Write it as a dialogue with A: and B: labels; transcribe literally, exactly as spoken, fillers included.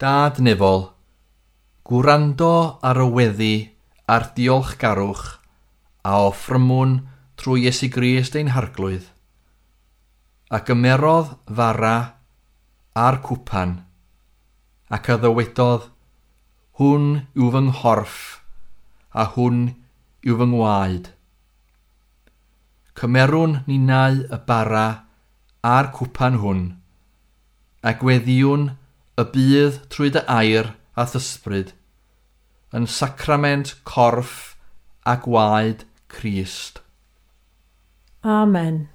A: Dad nefol, gwrando ar y weddi a'r diolchgarwch a offrymwn trwy Iesu Grist ein Harglwydd, a gymerodd fara a'r cwpan, ac a ddywedodd, "Hwn yw fy nghorff, a hwn yw fy ngwaed." Cymerwn ninnau y bara a'r cwpan hwn, a gweddiwn y bydd trwy dy air a th'ysbryd, yn sacrament corff a gwaed Crist.
B: Amen.